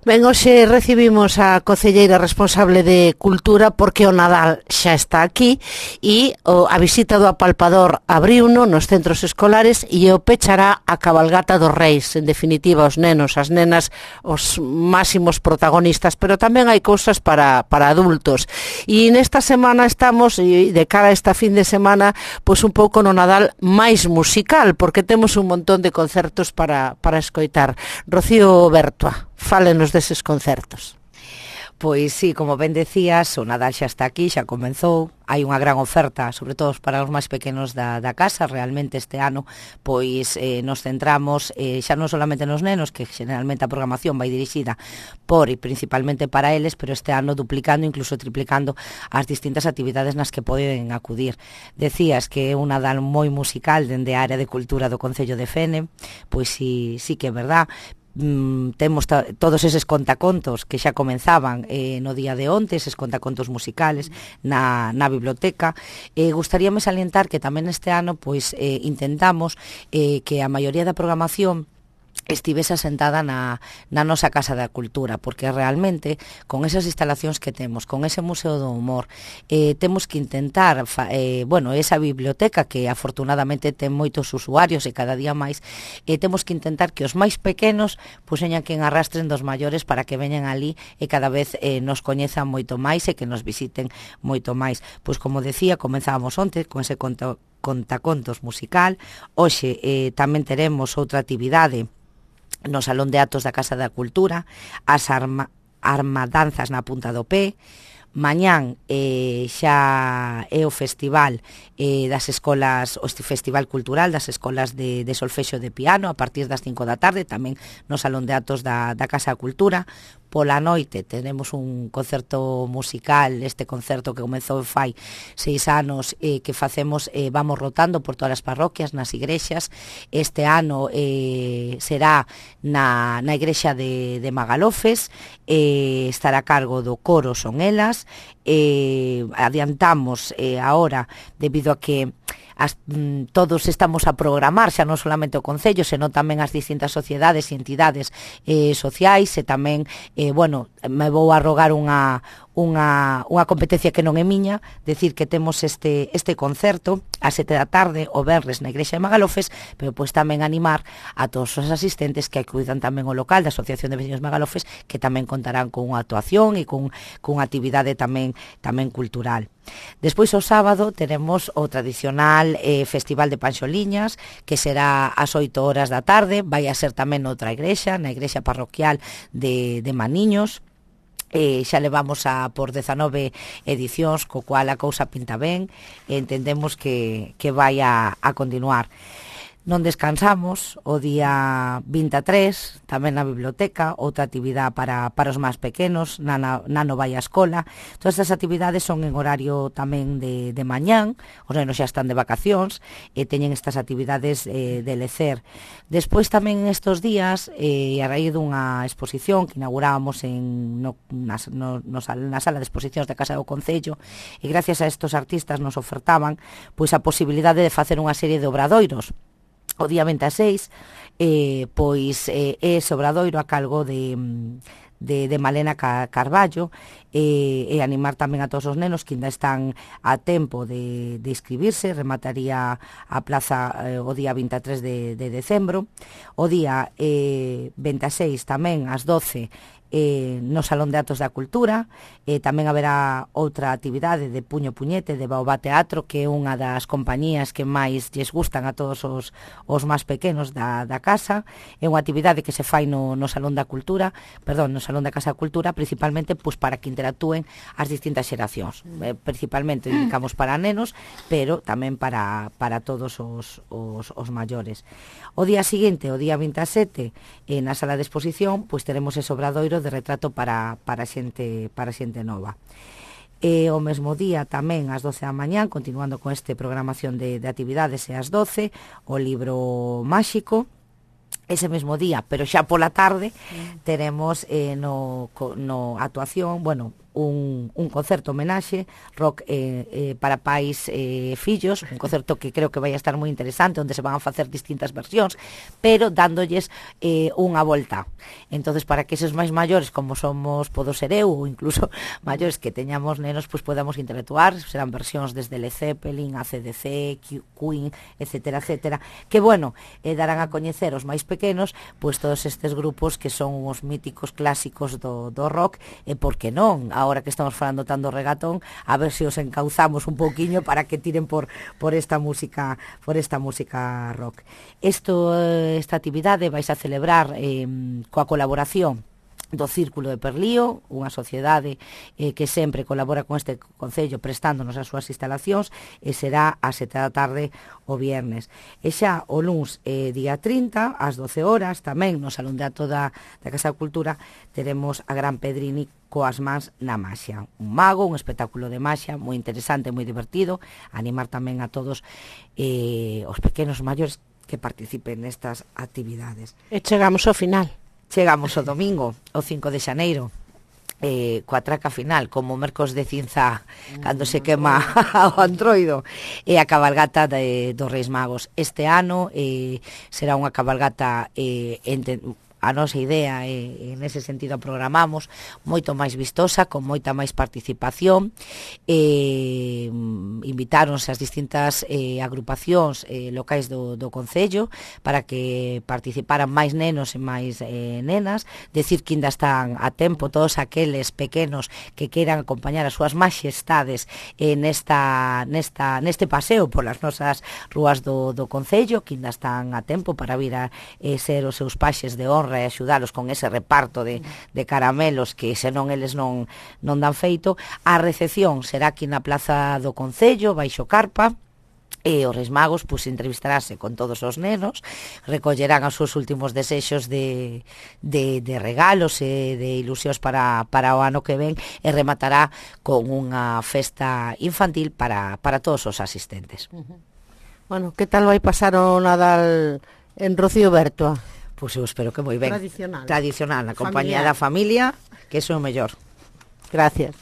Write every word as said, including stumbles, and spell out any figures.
Ben, hoxe recibimos a concelleira responsable de Cultura porque o Nadal xa está aquí e o, a visita do apalpador abriuno nos centros escolares e o pechará a cabalgata dos Reis. En definitiva, os nenos, as nenas, os máximos protagonistas, pero tamén hai cousas para, para adultos. E nesta semana estamos, e de cara a esta fin de semana, pois un pouco no Nadal máis musical, porque temos un montón de concertos para, para escoitar. Rocío Bertua, fálenos deses concertos. Pois sí, como ben decías, o Nadal xa está aquí, xa comenzou, hai unha gran oferta, sobre todo para os máis pequenos da, da casa. Realmente este ano pois eh, nos centramos eh, xa non solamente nos nenos, que generalmente a programación vai dirixida por e principalmente para eles, pero este ano duplicando, incluso triplicando as distintas actividades nas que poden acudir. Decías que é un Nadal moi musical dende a área de cultura do Concello de Fene, pois sí, sí que é verdad. Mm, temos todos eses contacontos que xa comenzaban eh, no día de onte, eses contacontos musicales na, na biblioteca. Eh, gustaríame salientar que tamén este ano pois eh, intentamos eh, que a maioría da programación estivese asentada na, na nosa Casa da Cultura, porque realmente con esas instalacións que temos, con ese Museo do Humor, eh, temos que intentar, eh, bueno, esa biblioteca que afortunadamente ten moitos usuarios e cada día máis, eh, temos que intentar que os máis pequenos pois señan quen arrastren dos maiores para que veñan ali e cada vez eh, nos coñezan moito máis e que nos visiten moito máis. Pois como decía, comenzábamos onte con ese conto, contacontos musical. Hoxe eh, tamén teremos outra actividade no Salón de Actos da Casa da Cultura, as arma, armadanzas na punta do pé. Mañán eh, xa é o festival eh, das escolas, o festival cultural das escolas de, de solfexo de piano a partir das cinco da tarde, tamén no Salón de Actos da, da Casa da Cultura. Pola noite tenemos un concerto musical, este concerto que comezou fai seis anos, eh, que facemos, eh, vamos rotando por todas as parroquias, nas igrexas. Este ano eh, será na, na igrexa de, de Magalofes, eh, estará a cargo do coro Son Elas. Eh, adiantamos eh, ahora, debido a que As, mm, todos estamos a programar xa non solamente o Concello, senón tamén as distintas sociedades e entidades eh, sociais, e tamén, eh, bueno, me vou a rogar unha, unha, unha competencia que non é miña, decir que temos este, este concerto a sete da tarde o venres na igrexa de Magalofes, pero pois tamén animar a todos os asistentes que acudan tamén ao local da Asociación de Veciños Magalofes, que tamén contarán con unha actuación e con, con unha actividade tamén, tamén cultural. Despois o sábado teremos o tradicional eh, Festival de Panxoliñas, que será ás oito horas da tarde, vai a ser tamén noutra igrexa, na igrexa parroquial de, de Maniños. Eh, xa levamos a por dezanove edicións, co cual a cousa pinta ben, e entendemos que, que vai a, a continuar. Non descansamos o día vinte e tres, tamén na biblioteca, outra actividade para, para os máis pequenos, nano, nano vai á escola. Todas estas actividades son en horario tamén de, de mañán, os nenos xa están de vacacións e teñen estas actividades eh, de lecer. Despois tamén estes días, eh, a raíz dunha exposición que inaugurábamos en, no, na, no, no, na sala de exposicións da Casa do Concello, e gracias a estes artistas nos ofertaban pois a posibilidade de facer unha serie de obradoiros. O día vinte e seis, eh, pois eh, é ese obradoiro a cargo de, de, de Malena Carballo, eh, e animar tamén a todos os nenos que ainda están a tempo de, de inscribirse. Remataría a plaza eh, o día vinte e tres de, de decembro. O día eh, vinte e seis tamén ás doce eh, no Salón de Actos da Cultura. Eh, tamén haberá outra actividade de Puño Puñete, de Baobá Teatro, que é unha das compañías que máis lles gustan a todos os, os máis pequenos da, da casa. É unha actividade que se fai no, no Salón da Cultura, perdón, no Salón da Casa da Cultura, principalmente pois, para que interactúen as distintas xeracións. Eh, principalmente dedicamos para nenos, pero tamén para, para todos os, os, os maiores. O día seguinte, o día vinte e sete, eh, na sala de exposición, pois teremos ese obradoiro de retrato para, para xente, para xente nova. E o mesmo día tamén ás doce da mañán, continuando con este programación de, de actividades, e ás doce o libro máxico. Ese mesmo día, pero xa pola tarde, teremos eh, no, no actuación, bueno, un, un concerto homenaxe, rock eh, eh, para pais e eh, fillos, un concerto que creo que vai a estar moi interesante, onde se van a facer distintas versións, pero dándolles eh, unha volta. Entonces, para que eses máis maiores, como somos, podo ser eu, ou incluso maiores que teñamos nenos, pois podamos interactuar, serán versións desde Led Zeppelin, A C D C, Queen, etcétera, etcétera, que, bueno, eh, darán a coñecer os máis pequenos, pois todos estes grupos que son os míticos clásicos do, do rock, e por que non, agora que estamos falando tanto regatón, a ver se os encauzamos un pouquiño para que tiren por, por esta música por esta música rock. Esto, esta actividade vais a celebrar eh, coa colaboración do Círculo de Perlío, unha sociedade eh, que sempre colabora con este concello prestándonos as súas instalacións, e será a sete da tarde o viernes. E xa o luns, eh, día trinta, ás doce horas, tamén no Salón de Acto da, da Casa da Cultura, teremos a Gran Pedrini coas mans na maxia. Un mago, un espectáculo de maxia moi interesante, moi divertido, animar tamén a todos eh, os pequenos maiores que participen nestas actividades. E chegamos ao final. Chegamos o domingo, o cinco de xaneiro, eh, coa traca final, como o Mercos de Cinza, cando se quema o antroido, e a cabalgata de, dos Reis Magos. Este ano eh, será unha cabalgata eh, ente, a nosa idea e, en ese sentido a programamos moito máis vistosa, con moita máis participación. eh, invitáronse as distintas eh, agrupacións eh, locais do, do Concello para que participaran máis nenos e máis eh, nenas. Decir que ainda están a tempo todos aqueles pequenos que queiran acompañar as súas majestades eh, nesta, nesta, neste paseo polas nosas rúas do, do Concello, que ainda están a tempo para vir a eh, ser os seus paxes de honra e axudalos con ese reparto de, de caramelos que senón eles non, non dan feito. A recepción será aquí na Plaza do Concello, baixo carpa, e os Reis Magos pois entrevistarase con todos os nenos, recollerán os seus últimos desexos de, de, de regalos e de ilusións para, para o ano que ven, e rematará con unha festa infantil para, para todos os asistentes. Uh-huh. Bueno, que tal vai pasar o Nadal en Rocío Bertoa? Pois eu espero que moi ben. Tradicional. Tradicional, na compañía da familia, que é o mellor. Gracias.